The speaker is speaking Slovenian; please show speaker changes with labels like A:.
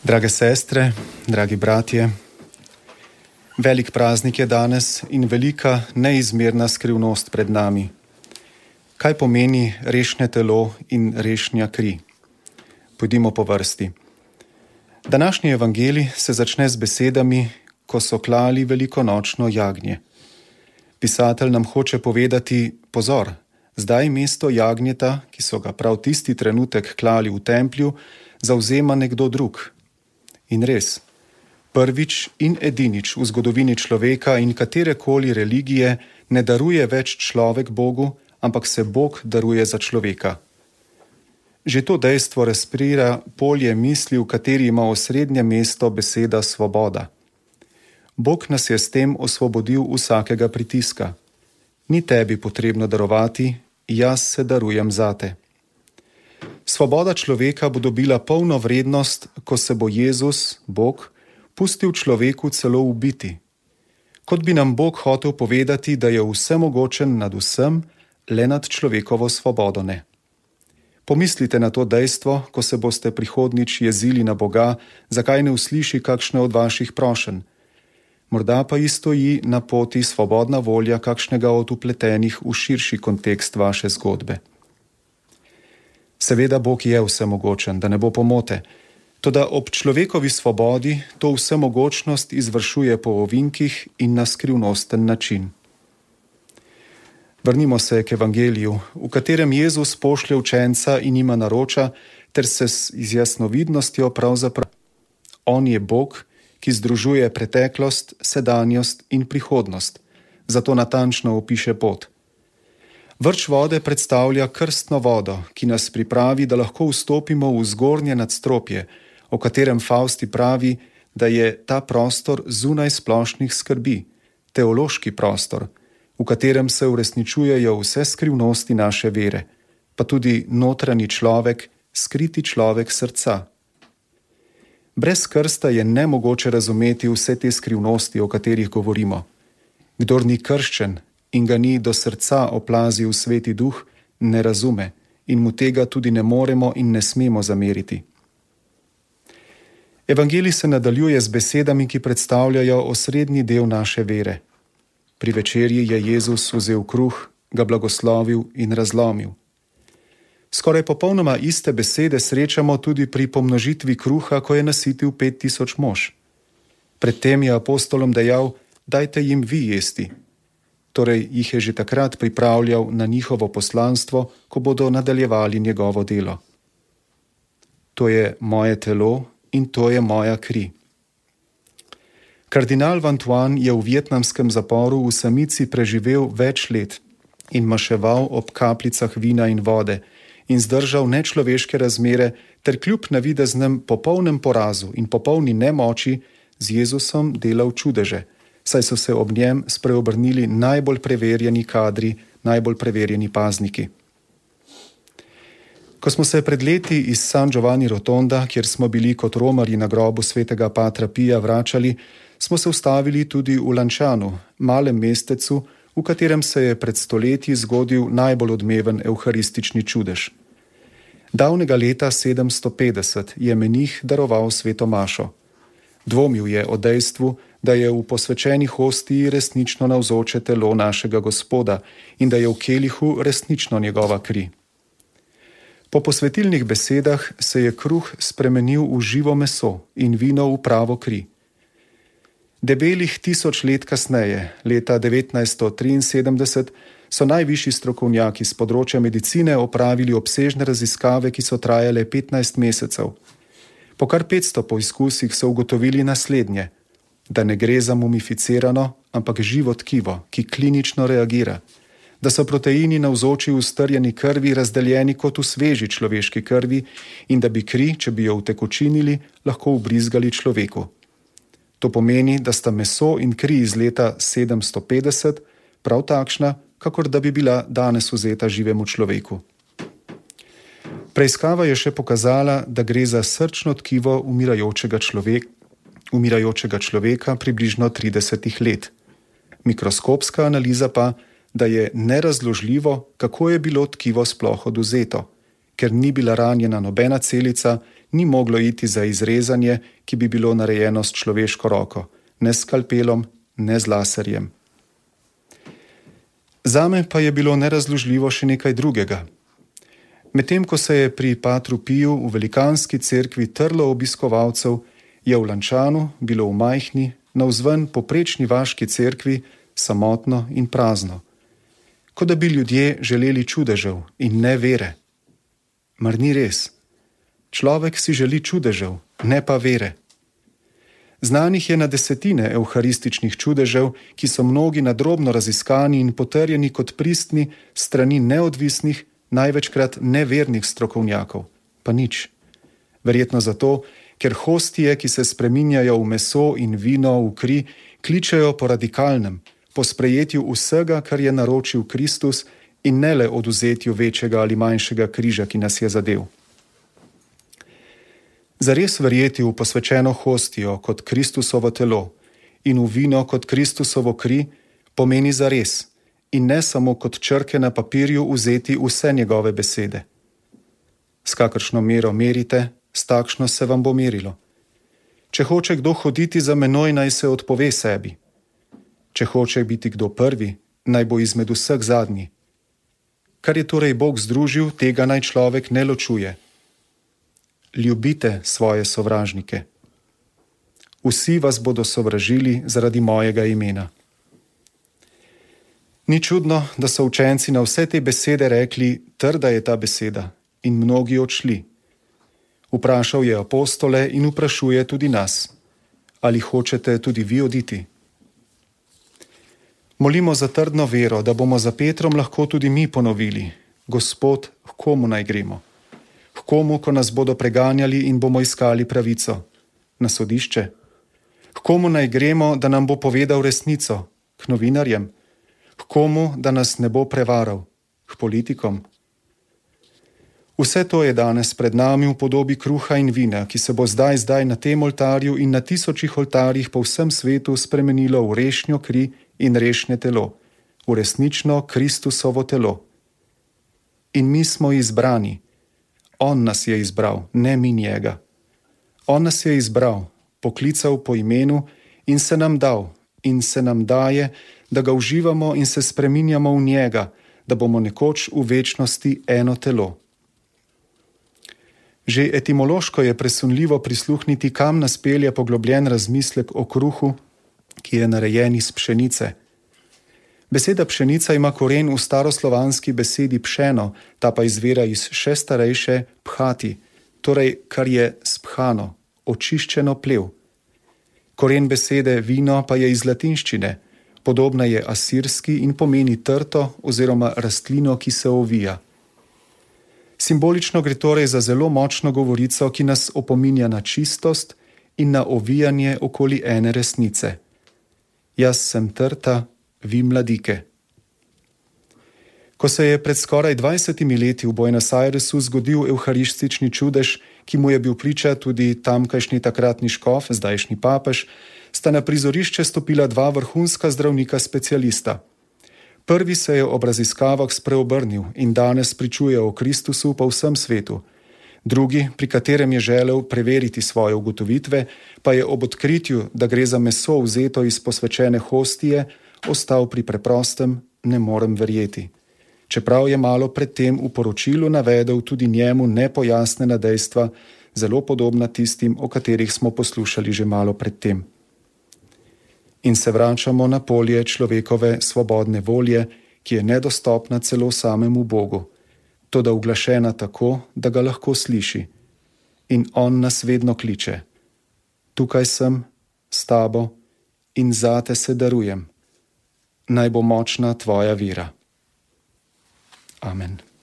A: Drage sestre, dragi bratje, velik praznik je danes in velika neizmerna skrivnost pred nami. Kaj pomeni rešne telo in rešnja kri? Pojdimo po vrsti. Današnji evangelij se začne z besedami, ko so klali velikonočno jagnje. Pisatelj nam hoče povedati, pozor, zdaj mesto jagnjeta, ki so ga prav tisti trenutek klali v templju, zavzema nekdo drug. In res, prvič in edinič v zgodovini človeka in katerekoli religije ne daruje več človek Bogu, ampak se Bog daruje za človeka. Že to dejstvo razprira polje misli, v kateri ima osrednje mesto beseda svoboda. Bog nas je s tem osvobodil vsakega pritiska. Ni tebi potrebno darovati, jaz se darujem zate. Svoboda človeka bo dobila polno vrednost, ko se bo Jezus, Bog, pustil človeku celo ubiti. Kot bi nam Bog hotel povedati, da je vsemogočen nad vsem, le nad človekovo svobodo ne. Pomislite na to dejstvo, ko se boste prihodnjič jezili na Boga, zakaj ne usliši kakšne od vaših prošenj. Morda pa ji stoji na poti svobodna volja kakšnega od upletenih v širši kontekst vaše zgodbe. Seveda Bog je vsemogočen, da ne bo pomote, toda ob človekovi svobodi to vsemogočnost izvršuje po ovinkih in na skrivnosten način. Vrnimo se k evangeliju, v katerem Jezus pošlje učenca in jima naroča, ter se z jasnovidnostjo pravzaprav. On je Bog, ki združuje preteklost, sedanjost in prihodnost, zato natančno opiše pot. Vrč vode predstavlja krstno vodo, ki nas pripravi, da lahko vstopimo v zgornje nadstropje, o katerem Fausti pravi, da je ta prostor zunaj splošnih skrbi, teološki prostor, v katerem se uresničujejo vse skrivnosti naše vere, pa tudi notranji človek, skriti človek srca. Brez krsta je nemogoče razumeti vse te skrivnosti, o katerih govorimo. Kdor ni krščen in ga ni do srca oplazil Sveti Duh, ne razume in mu tega tudi ne moremo in ne smemo zameriti. Evangelij se nadaljuje z besedami, ki predstavljajo osrednji del naše vere. Pri večerji je Jezus vzel kruh, ga blagoslovil in razlomil. Skoraj popolnoma iste besede srečamo tudi pri pomnožitvi kruha, ko je nasitil 5000 mož. Predtem je apostolom dejal, dajte jim vi jesti. Torej jih je že takrat pripravljal na njihovo poslanstvo, ko bodo nadaljevali njegovo delo. To je moje telo in to je moja kri. Kardinal Vantuan je v vietnamskem zaporu v samici preživel več let in maševal ob kapljicah vina in vode in zdržal nečloveške razmere ter kljub navideznem popolnem porazu in popolni nemoči z Jezusom delal čudeže, saj so se ob njem spreobrnili najbolj preverjeni kadri, najbolj preverjeni pazniki. Ko smo se pred leti iz San Giovanni Rotonda, kjer smo bili kot romarji na grobu svetega Patra Pija, vračali, smo se ustavili tudi v Lančanu, malem mestecu, v katerem se je pred stoletji zgodil najbolj odmeven evharistični čudež. Davnega leta 750 je menih daroval sveto mašo. Dvomil je o dejstvu, da je v posvečeni hostiji resnično navzoče telo našega Gospoda in da je v kelihu resnično njegova kri. Po posvetilnih besedah se je kruh spremenil v živo meso in vino v pravo kri. Debelih 1000 let kasneje, leta 1973, so najvišji strokovnjaki z področja medicine opravili obsežne raziskave, ki so trajale 15 mesecev. Po kar 500 poizkusih so ugotovili naslednje, da ne gre za mumificirano, ampak živo tkivo, ki klinično reagira, da so proteini navzoči v strjeni krvi razdeljeni kot v sveži človeški krvi in da bi kri, če bi jo utekočinili, lahko ubrizgali človeku. To pomeni, da sta meso in kri iz leta 750 prav takšna, kakor da bi bila danes vzeta živemu človeku. Preiskava je še pokazala, da gre za srčno tkivo umirajočega človeka približno 30 let. Mikroskopska analiza pa, da je nerazložljivo, kako je bilo tkivo sploh odvzeto, ker ni bila ranjena nobena celica, ni moglo iti za izrezanje, ki bi bilo narejeno s človeško roko, ne s skalpelom, ne z laserjem. Zame pa je bilo nerazložljivo še nekaj drugega. Medtem ko se je pri Patru Piju v velikanski cerkvi trlo obiskovalcev, je v Lančanu bilo v majhni, navzven poprečni vaški cerkvi samotno in prazno. Kot da bi ljudje želeli čudežev in ne vere. Mar ni res? Človek si želi čudežev, ne pa vere. Znanih je na desetine evharističnih čudežev, ki so mnogi nadrobno raziskani in potrjeni kot pristni strani neodvisnih, največkrat nevernih strokovnjakov. Pa nič. Verjetno zato, ker hostije, ki se spreminjajo v meso in vino, v kri, kličejo po radikalnem, po sprejetju vsega, kar je naročil Kristus in ne le oduzetju večjega ali manjšega križa, ki nas je zadel. Zares verjeti v posvečeno hostijo kot Kristusovo telo in v vino kot Kristusovo kri pomeni zares in ne samo kot črke na papirju vzeti vse njegove besede. S kakršno mero merite, s takšno se vam bo merilo. Če hoče kdo hoditi za menoj, naj se odpove sebi. Če hoče biti kdo prvi, naj bo izmed vseh zadnji. Kar je torej Bog združil, tega naj človek ne ločuje. Ljubite svoje sovražnike. Vsi vas bodo sovražili zaradi mojega imena. Ni čudno, da so učenci na vse te besede rekli, trda je ta beseda, in mnogi odšli. Vprašal je apostole in vprašuje tudi nas. Ali hočete tudi vi oditi? Molimo za trdno vero, da bomo za Petrom lahko tudi mi ponovili. Gospod, h komu naj gremo? H komu, ko nas bodo preganjali in bomo iskali pravico? Na sodišče? H komu naj gremo, da nam bo povedal resnico? K novinarjem? K komu, da nas ne bo prevaral? K politikom? Vse to je danes pred nami v podobi kruha in vina, ki se bo zdaj na tem oltarju in na tisočih oltarjih po vsem svetu spremenilo v rešnjo kri in rešnje telo, v resnično Kristusovo telo. In mi smo izbrani. On nas je izbral, ne mi njega. On nas je izbral, poklical po imenu in se nam dal in se nam daje, da ga uživamo in se spreminjamo v njega, da bomo nekoč v večnosti eno telo. Že etimološko je presunljivo prisluhniti, kam nas pelje poglobljen razmislek o kruhu, ki je narejen iz pšenice. Beseda pšenica ima koren v staroslovanski besedi pšeno, ta pa izvira iz še starejše phati, torej kar je sphano, očiščeno plev. Koren besede vino pa je iz latinščine, podobna je asirski in pomeni trto oziroma rastlino, ki se ovija. Simbolično gre torej za zelo močno govorico, ki nas opominja na čistost in na ovijanje okoli ene resnice. Jaz sem trta, vi mladike. Ko se je pred skoraj 20 leti v Buenos Airesu zgodil evharistični čudež, ki mu je bil priča tudi tamkajšnji takratni škof, zdajšnji papež, sta na prizorišče stopila dva vrhunska zdravnika specialista. Prvi se je ob raziskavah spreobrnil in danes pričuje o Kristusu po vsem svetu. Drugi, pri katerem je želel preveriti svoje ugotovitve, pa je ob odkritju, da gre za meso vzeto iz posvečene hostije, ostal pri preprostem, ne morem verjeti. Čeprav je malo predtem v poročilu navedel tudi njemu nepojasnjena dejstva, zelo podobna tistim, o katerih smo poslušali že malo predtem. In se vračamo na polje človekove svobodne volje, ki je nedostopna celo samemu Bogu, toda uglašena tako, da ga lahko sliši. In on nas vedno kliče. Tukaj sem, s tabo in zate se darujem. Naj bo močna tvoja vera. Amen.